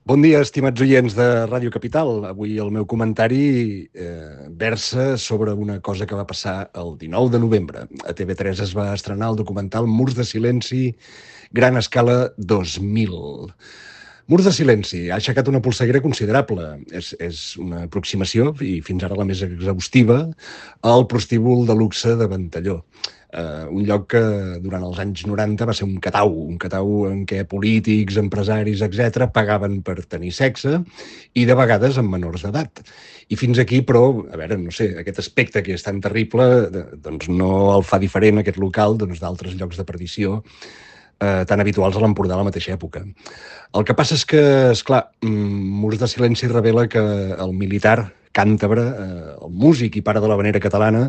Bon dia, estimats oients de Ràdio Capital. Avui el meu comentari versa sobre una cosa que va passar el 19 de novembre. A TV3 es va estrenar el documental Murs de silenci, gran escala 2000. Murs de silenci ha aixecat una polseguera considerable. És una aproximació, i fins ara la més exhaustiva, al prostíbul de luxe de Ventalló. Un lloc que durant els anys 90 va ser un catau en què polítics, empresaris, etc pagaven per tenir sexe i de vegades amb menors d'edat. I fins aquí, però, a veure, no sé, aquest aspecte que és tan terrible, doncs no el fa diferent aquest local d'altres llocs de perdició tan habituals a l'Empordà a la mateixa època. El que passa és que, esclar, Murs de silenci revela que el militar càntabre, el músic i pare de l'havanera catalana,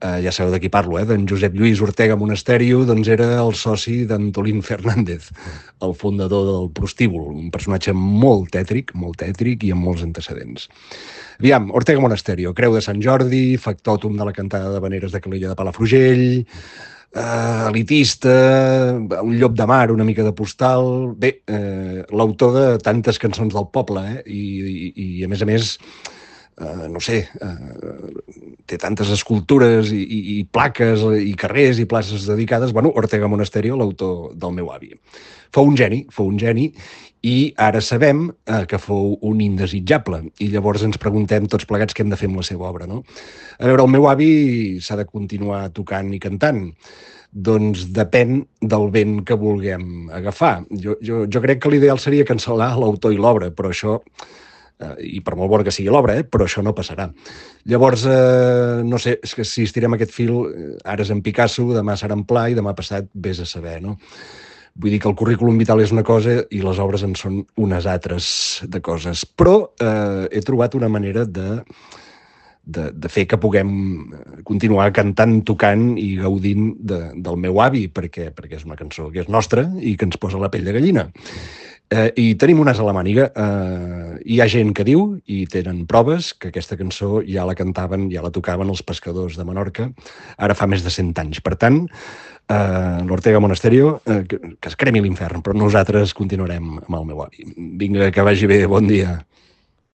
ja sabeu de qui parlo, d'en Josep Lluís Ortega Monasterio, doncs era el soci d'Antolín Fernández, el fundador del prostíbul, un personatge molt tètric i amb molts antecedents. Aviam, Ortega Monasterio, Creu de Sant Jordi, factòtum de la cantada d'havaneres de Calella de Palafrugell, elitista, un llop de mar, una mica de postal... Bé, l'autor de tantes cançons del poble, i a més, no sé, té tantes escultures i plaques i carrers i places dedicades. Bueno, Ortega Monasterio, l'autor del meu avi. Fou un geni, i ara sabem que fou un indesitjable. I llavors ens preguntem tots plegats què hem de fer amb la seva obra, no? A veure, el meu avi s'ha de continuar tocant i cantant. Doncs depèn del vent que vulguem agafar. Jo crec que l'ideal seria cancel·lar l'autor i l'obra, però això... i per molt bona que sigui l'obra, però això no passarà. Llavors, no sé, és que si estirem aquest fil, ara és en Picasso, demà serà en Pla i demà passat vés a saber, no? Vull dir que el currículum vital és una cosa i les obres en són unes altres de coses. Però he trobat una manera de fer que puguem continuar cantant, tocant i gaudint del meu avi, perquè és una cançó que és nostra i que ens posa la pell de gallina. I tenim un as a la màniga. Hi ha gent que diu, i tenen proves, que aquesta cançó ja la cantaven, ja la tocaven els pescadors de Menorca, ara fa més de 100 anys. Per tant, l'Ortega Monasterio, que es cremi l'infern, però nosaltres continuarem amb el meu avi. Vinga, que vagi bé, bon dia.